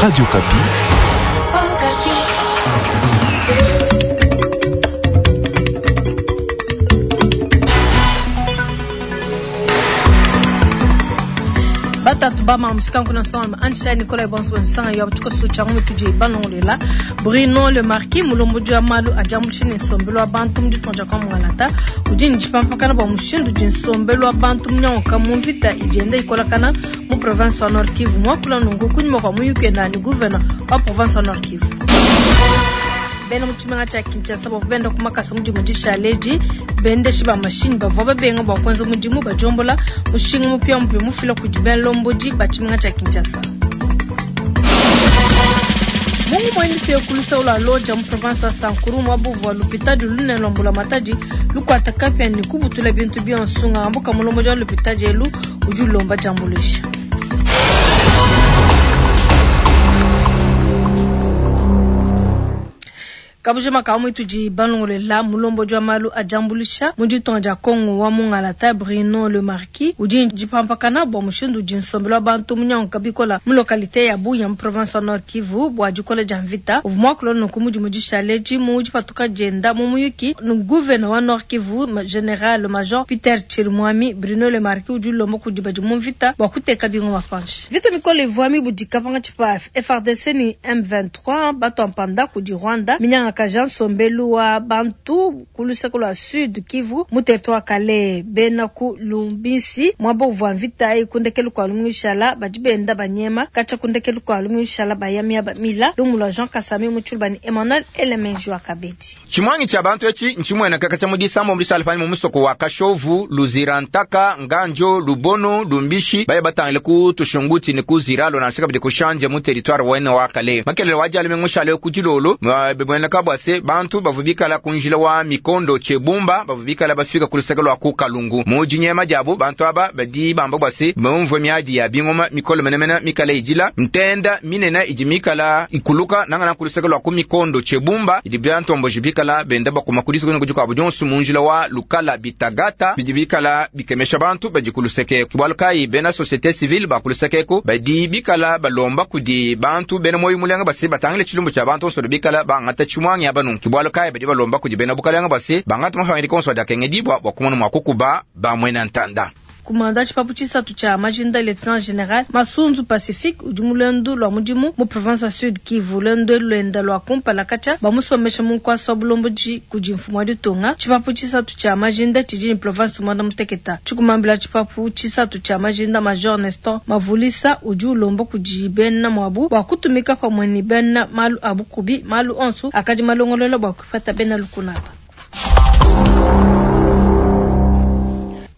Radio Okapi. Batatu ba mamu kuna nsonga Anshai Nicolas Bonso nsanga ya tshikoso tshia mu tudi balongolela Bruno Le Marquis mulombodi wa malu a diambuluisha ne nsombelu wa bantu mu ditunga dia Kamualata udi ne dipampakana bua mushindu udi nsombelu wa bantu munyanguka mu mvita idi yenda ikolakana mu province wa Nord Kivu. Muakula nunku kunyima kua muyuki wenda ne gouverneur wa province wa Nord Kivu. Bena mu tshimenga tshia Kinshasa bavua benda ku makasa mu dimue dishale edi, bendeshi ba mashinyi bavua babenga bua kuenza mudimu badiombola mushinga mupiamupia mufila kudi balombodi ba tshimenga tshia Kinshasa. Mu ngumu mipie ku luseke lua Lodja mu province wa Sankuru, muaba uvua lupitadi lunene lua mbulamatadi lukuata kapia ne kubutula bintu bionso, ngambuka mulombodi wa lupitadi elu udi ulomba diambuluisha. Kabujima ka muitudi balongolela mulombodi wa malu a diambuluisha mu ditunga dia Congo wa mungalata Bruno Le Marquis udi dipampakana bua mushindu udi nsombelu wa bantu munyanguka bikola mu localité ya Bunia mu province wa Nord Kivu bua dikola dia mvita. Uvua muakula nunku mu dimue dishale edi mu dipatuka dienda mu muyuki ne gouverneur wa Nord Kivu General Major Peter Chirimwami. Bruno Le Marquis udi ulomba kudi badi mu mvita bua kuteka bingoma panshi. Mvita mikole ivua mibudika pankatshi pa FARDC ne M23 batua mpanda kudi Rwanda minyangakaja nsombelu wa bantu ku luseke lua Sud Kivu mu territoire Kalehe. Bena ku Lumbinsi muaba uvua mvita ayi ku ndekelu kua lumingu lushala badi benda banyema katshia ku ndekelu kua lumingu lushala baya miaba mila. Lumu lua Jean Kasami mu Tshiluba ne Emmanuel Elemenji wa Kabedi. Tshimuangi tshia bantu etshi ntshimueneka katshia mu disambombo dishale panyima mu musoko wa Kashovu, Luzira, Ntaka, Nganjo, Lubono, Lumbishi, baya batangile ku Tushunguti ne ku Ziralo nansha kabidi ku Shandia mu territoire wene wa Kalehe. Makelele wa dia lumingu mushale ku dilolo, bimueneka bua se bantu bavua bikala ku njila wa Mikondo Tshebumba bavua bikala bafika ku luseke lua ku Kalungu. Mu dinyema diabu, bantu aba badi bamba bua se bumvue miadi ya bingoma mikole menemene mikale idila ntenda minene idi mikala ikuluka nangananga ku luseke lua ku Mikondo Tshebumba idi bantomboji bikala benda bakuma ku disuku ne ku dikuabu dionso mu njila wa Lukala Bitagata bidi bikala bikemesha bantu badi ku luseke eku. Bualu kayi bena societe civile ba ku luseke eku badi bikala balomba kudi bantu bena muoyo mulenga bua se batangile tshilumbu tshia bantu bonso badi bikala bangata tshimuangi aba nunku. Bualu kayi badi balomba kudi bena bukalenga bua se bangate mapangadika onso adi akengedibua bua kumona mua kukuba ba muena ntanda. Kumanda tshipapu tshisatu tshia majinda Lieutenant General Masunzu Pacifique udi mu luendu lua mudimu mu province wa Sud Kivu. Luendu elu luenda lua kumpala katshia bamusombesha mu nkuasa wa bulombodi kudi mfumu wa ditunga. Tshipapu tshisatu tshia majinda tshidi ne province muanda muteketa. Tshikumambila tshipapu tshisatu tshia majinda Major Nestor Mavulisa udi ulomba kudi bena muabu bua kutumika pamue ne bena malu a bukubi malu onso akadi malongolola bua kuipata bena lukuna aba.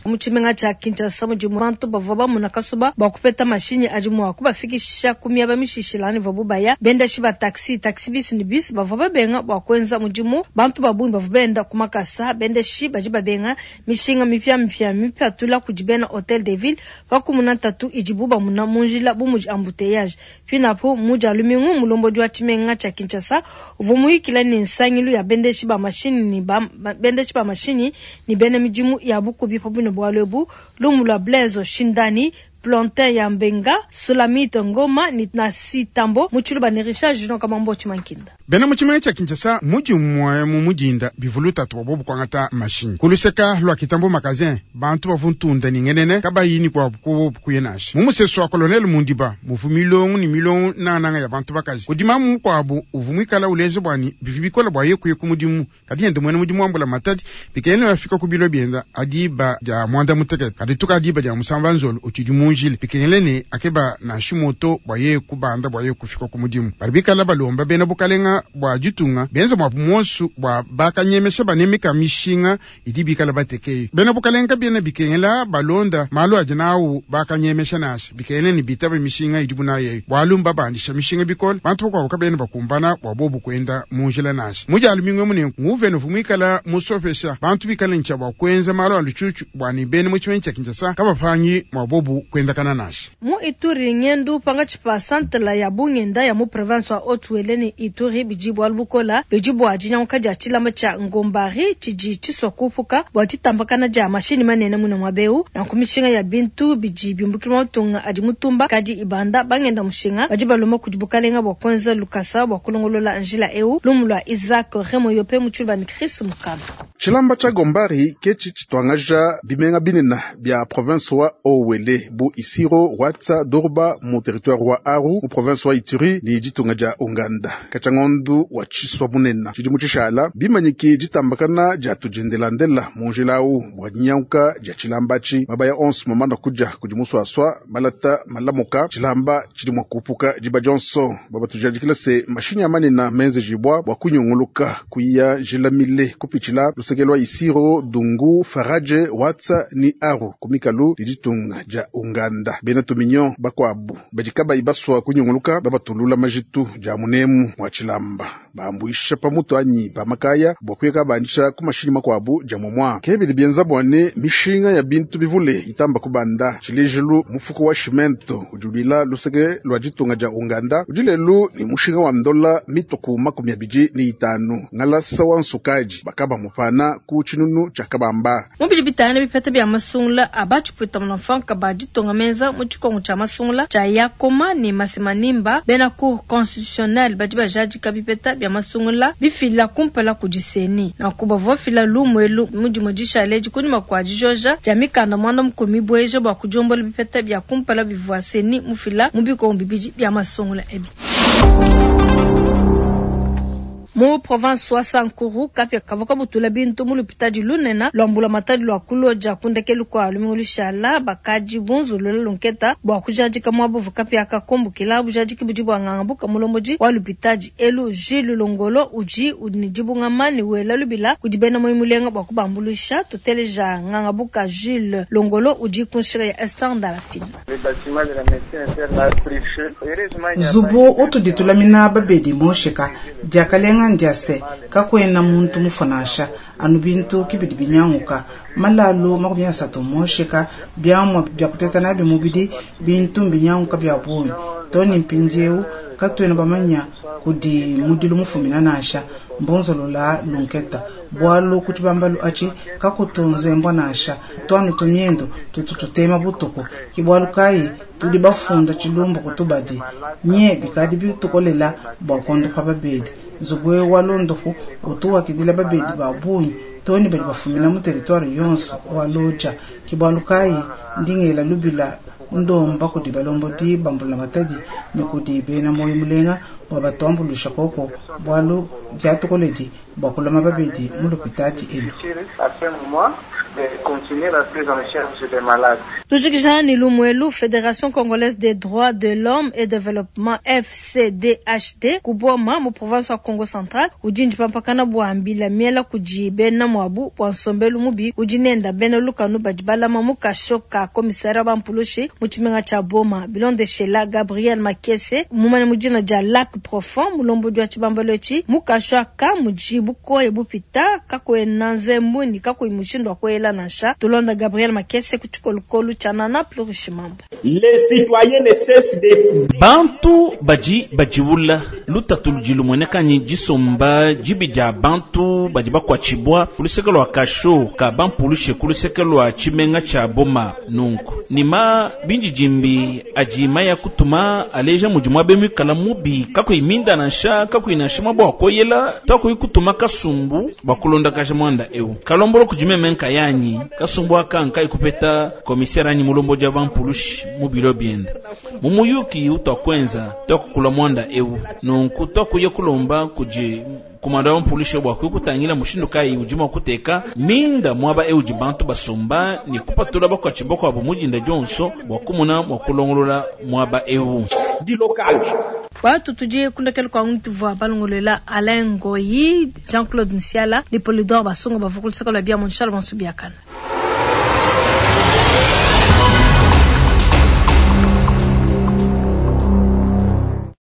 Mu tshimenga tshia Kinshasa mudi bantu bavua bamuna kasuba bua kupeta mashinyi adi mua kubafikisha ku miaba mishishilangane ivuabu baya. Bendeshi ba taxi, taxi bus ne bus bavua babenga bua kuenza mudimu. Bantu ba bungi bavua benda ku makasa. Bendeshi badi babenga mishinga mipiamipia mipatula kudi bena Hotel de Ville pa kumuna ntatu idibu bamuna mu njila bu mudi embouteillage. Pinapu mu Dia lumingu, mulombodi wa tshimenga tshia Kinshasa uvua muyikila ne nsangilu ya bendeshi ba mashinyi ne ba, bendeshi ba mashinyi ne bena midimu ya bukubi pa buine bualu ebu. Lumu lua Blaise Shindani, Plantin ya Mbenga, Sulamite Ngoma ne Nasi Tambo mu Tshiluba ne Richard Junior Kamambo Tshimankinda. Bena mu tshimenga tshia Kinshasa mu dimue mu mudinda bivua lutatu bua bobu kuangata mashinyi ku luseka lua Kitambo Magazin. Bantu bavua ntunda ne ngenene kabayi ne kuabu kuobu kuya nansha. Mu musesu wa Colonel Mundiba muvua milongo ne milongo nangananga ya bantu bakaji. Kudi mamu mukuabu uvua muikala uleja bua ne bivua bikole bua yeye kuya ku mudimu, kadi yende muena mudimu wa mbulamatadi bikengela afika ku bilo bienda a diba dia muanda mutekete, kadi tuka diba dia musamba nzolo utshidi mu njila, bikengela ne akeba nansha moto bua yeye kubanda bua yeye kufika ku mudimu. Badi bikala balomba bena bukalenga bua ditunga benza muabu muonso bua bakanyemesha banemeka mishinga idi bikala batekeyo. Bena bukalenga kabiena bikengela balonda malu adi nawu bakanyemesha nansha, bikengela ne bitaba mishinga idibu nayi eyi, bualu mbabandisha mishinga bikole, bantu bakuabu kabena bakumbana bua bobu kuenda mu njila nansha. Mu dia lumingu emu nenku, nguvena uvua muikala musopesha bantu bikale ne tshia bua kuenza malu a lutshutshu bua ne bena mu tshimenga tshia Kinshasa kabapangi mua bobu kuenza. kuendakana nansha. Mu Ituri, ngendu pankatshi pa santala ya bungenda ya mu province wa Haut-Uele ne Ituri bidi bualu bukola bidi bua dinyanguka dia tshilamba tshia Ngombari tshidi tshisua kupuka bua ditambakana dia mashinyi manene mune muaba eu. Nanku mishinga ya bintu bidi biumbukila mu matunga adi mutumba kadi ibanda. Bangenda mushinga badi balomba kudi bukalenga bua kuenza lukasa bua kulongolola njila eu. Lumu lua Isaac Remoyope mu tshiluba ne Chris Mukaba. Tshilamba tshia Gombari ke tshidi tshituangaja bimenga binene bia province wa Haut-Uele bu Isiro, Watsa, Durba mu territoire wa Aru mu province wa Ituri ne ditunga dia Unganda. Katshia ngondu wa tshisua munene tshidimu tshishala bimanyiki ditambakana dia tudiendelandela mu njila au bua dinyanguka dia tshilamba atshi. Mabaya onso mamana kudia kudi musuasua malata malamuka tshilamba tshidi mua kupuka diba dionso. Babatujadikila se mashinyi a manene menzejibua bua kunyunguluka kuya njila mile kupitshila luseke lua Isiro, Dungu, Faradje, Watsa ni Aru ku mikalu ne ditunga dia Unganda. Bena tuminyo bakuabu badi kabayi basua kunyunguluka babatulula majitu dia munemu wa tshilamba bambuisha pamutu anyi pa makaya bua kuya kabandisha ku mashinyi makuabu dia momua. Ke bidi bienza bua ne mishinga ya bintu bivule itamba kubanda. Tshilejilu mufuko wa cimento udi ulwila luseke lua ditunga dia Unganda udi lelu ne mushinga wa ndola mituku 25 ngalasa wa nsukaji bakaba mupana ku tshinunu tshia kabamba. Mu bidi bitangila bipeta bia masungula a batshipwita munamfanka ba ditunga menza mu tshikongo tshia masungula tshia Yakoma ne Masimanimba, bena Cour constitutionnelle badi bajadika bipeta bia masungula bifila kumpala kudi CENI. Nanku bavua bafila lumu elu mu dimue dishala edi kunyima kua dijoja dia mikanda 10 mibueja bua kudiombola bipeta bia kumpala bivua CENI mufila mu bikongo bibidi bia masungula ebi. Mu province wa Sankuru, kapia kavua kabutula bintu mu lupitadi lunene lua mbulamatadi lua Kuloja ku ndekelu kua lumingu lushala. Bakadi bunzulula lunketa bua kujadika muaba uvua kapia kakumbukila. Bujadiki budi bua ngangabuka mulombodi wa lupitadi elu Jules Longolo udi ne dibungama ne wela lubila kudi bena muoyo mulenga bua kubambuluisha. Tuteleja ngangabuka Jules Longolo udi ku nshila ya Esther Ndalafina. Nzubu utudi tulamina babedi mosheka diakalenga ndia se kakuena muntu mufua nansha anu bintu kibidi binyanguka malalu 30 mosheka biamua bia kuteta nabi mubidi bintu mbinyanguka bia bungi toni mpindieu katuena bamanya kudi mudilu mufumina nansha mbonzolola lunketa bwalu kuti bambalu achi kakutunze mbwa nansha twanu tumiendo tutu tutema butuku kibwalu kai tudi bafunda tshilumbu kutubadi nye bikadi bitukolela bua kondopa babedi nzubu wa londopu utuwakidila babedi ba bungi toni badi bafumina mu territoire yonso wa Lodja kibwalu kai ndingela lubila ndomba kudi balombodi bambula matadi ne kudi bena moyo mulenga bua batuambulusha koko bwalu biatukoledi bua kulama babedi mu lupitadi elu. Tujikija ni Lumwelu, Fédération congolaise des droits de l'homme et développement FCDHD kuboma mu province wa Congo Central udi ndipampakana bua mbila miela kudi bena mwabu bua nsombelu mubi udi nenda bena lukanu badi balama mu kasho ka komisaire wa mpulushi mu tshimenga tshia Boma. Bilondeshela Gabriel Makese mumane mu dina dia Lac Profond mulombodi wa tshibambalo etshi mu kasho aka mudi bukoya bupita kakuena nzembu ni kakuyi mushindu wa kuela nansha. Tulonda Gabriel Makese ku tshikolokolo tshia Nana Plurishimambo. Les citoyens ne cessent de bantu badi badiwula lutatu ludi lumueneka disomba dibi dia bantu badi bakuatshibua ku luseke lua kasho ka bampulushe ku luseke lua tshimenga tshia Boma. Nunku nima bindidimbi adi maya kutuma aleja mudi muabe muikala mubi kakuyi minda nansha kakuyi nansha muaba wa koyela takuyi kutuma kasumbu bua kulondakaja muanda eu kalombolo kudi meme nkayanyi kasumbu aka nkayi kupeta komisere anyi mulombodi wa bampulushi mu bilo bienda mu muyuki utwakwenza twakukula muanda eu nunku twakuya kulomba kudi komanda wa mpulishe bua kutangila mushindu kayi udi mua kuteka minda muaba eu udi bantu basomba ne kupatula bakuatshi bakuabu mu dinda dionso bua kumona mua kulongolola muaba eu. Watu tudi kundekela kwa muntu vua balongolela Alain Ngoyi, Jean-Claude Nsiala, ni Polydor Basongo bavukulisaka lwa bia Montchal Bansubiakana.